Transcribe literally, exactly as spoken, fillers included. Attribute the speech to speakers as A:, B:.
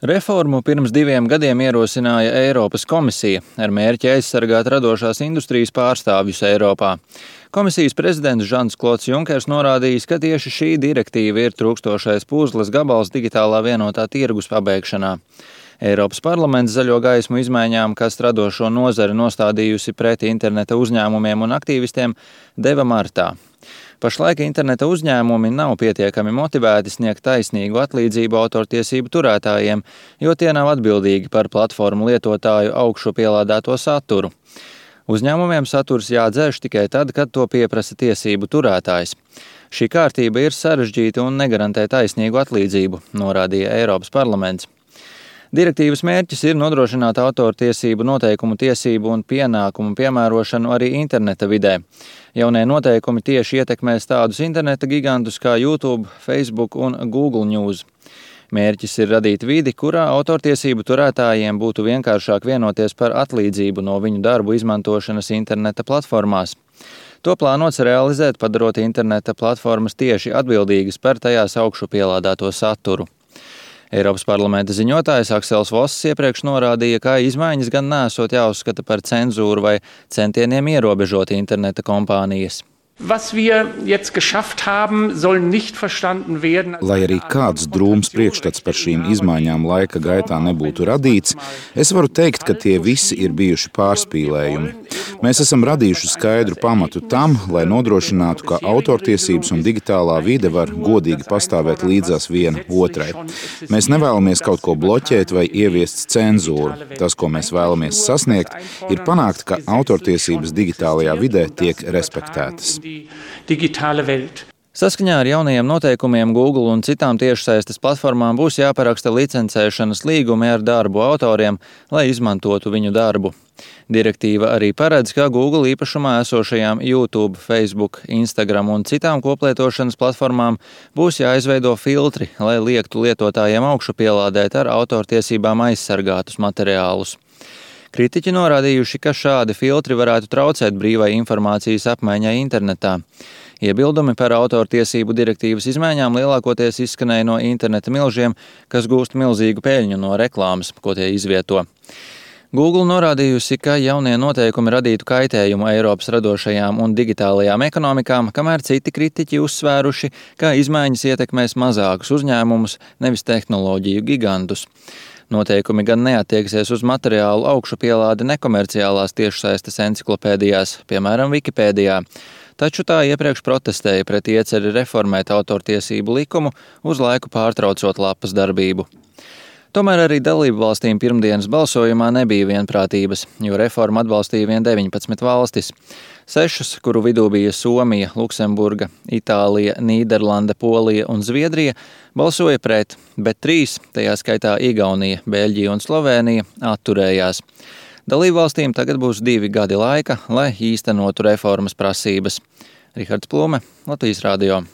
A: Reformu pirms diviem gadiem ierosināja Eiropas komisija ar mērķi aizsargāt radošās industrijas pārstāvjus Eiropā. Komisijas prezidents Žans Klods Junkers norādījis, ka tieši šī direktīva ir trūkstošais puzles gabals digitālā vienotā tirgus pabeigšanā. Eiropas parlaments zaļo gaismu izmaiņām, kas radošo nozari nostādījusi pret interneta uzņēmumiem un aktīvistiem, deva martā. Pašlaik interneta uzņēmumi nav pietiekami motivēti sniegt taisnīgu atlīdzību autortiesību turētājiem, jo tie nav atbildīgi par platformu lietotāju augšu pielādēto saturu. Uzņēmumiem saturs jādzēš tikai tad, kad to pieprasa tiesību turētājs. Šī kārtība ir sarežģīta un negarantē taisnīgu atlīdzību, norādīja Eiropas parlaments. Direktīvas mērķis ir nodrošināt autortiesību noteikumu tiesību un pienākumu piemērošanu arī interneta vidē. Jaunie noteikumi tieši ietekmēs tādus interneta gigantus kā YouTube, Facebook un Google News. Mērķis ir radīt vidi, kurā autortiesību turētājiem būtu vienkāršāk vienoties par atlīdzību no viņu darbu izmantošanas interneta platformās. To plānots realizēt, padarot interneta platformas tieši atbildīgas par tajās augšu pielādēto saturu. Eiropas parlamenta ziņotājs Aksels Voss iepriekš norādīja, ka izmaiņas gan nesot jāuzskata par cenzūru vai centieniem ierobežot interneta kompānijas.
B: Was wir jetzt geschafft haben, soll nicht verstanden werden.
C: Lai arī kāds drūms priekšstats par šīm izmaiņām laika gaitā nebūtu radīts, es varu teikt, ka tie visi ir bijuši pārspīlējumi. Mēs esam radījuši skaidru pamatu tam, lai nodrošinātu, ka autortiesības un digitālā vide var godīgi pastāvēt līdzās viena otrai. Mēs nevēlamies kaut ko bloķēt vai ieviest cenzūru. Tas, ko mēs vēlamies sasniegt, ir panākt, ka autortiesības digitālajā vidē tiek respektētas.
A: Saskaņā ar jaunajiem noteikumiem Google un citām tiešsaistes platformām būs jāparaksta licencēšanas līgumi ar darbu autoriem, lai izmantotu viņu darbu. Direktīva arī paredz, ka Google īpašumā esošajām YouTube, Facebook, Instagram un citām koplietošanas platformām būs jāizveido filtri, lai liektu lietotājiem augšu pielādēt ar autortiesībām aizsargātus materiālus. Kritiķi norādījuši, ka šādi filtri varētu traucēt brīvai informācijas apmaiņai internetā. Iebildumi par autortiesību direktīvas izmaiņām lielākoties izskanēja no interneta milžiem, kas gūst milzīgu peļņu no reklāmas, ko tie izvieto. Google norādījusi, ka jaunie noteikumi radītu kaitējumu Eiropas radošajām un digitālajām ekonomikām, kamēr citi kritiķi uzsvēruši, ka izmaiņas ietekmēs mazākus uzņēmumus, nevis tehnoloģiju gigantus. Noteikumi gan neattieksies uz materiālu augšu pielādi nekomerciālās tiešsaistes enciklopēdijās, piemēram, Wikipēdijā, taču tā iepriekš protestēja pret ieceri reformēt autortiesību likumu, uz laiku pārtraucot lapas darbību. Tomēr arī dalību valstīm pirmdienas balsojumā nebija vienprātības, jo reformu atbalstīja vien deviņpadsmit valstis. Sešas, kuru vidū bija Somija, Luksemburga, Itālija, Nīderlande, Polija un Zviedrija, balsoja pret, bet trīs, tajā skaitā Igaunija, Beļģija un Slovēnija, atturējās. Dalību valstīm tagad būs divi gadi laika, lai īstenotu reformas prasības. Rihards Plume, Latvijas radio.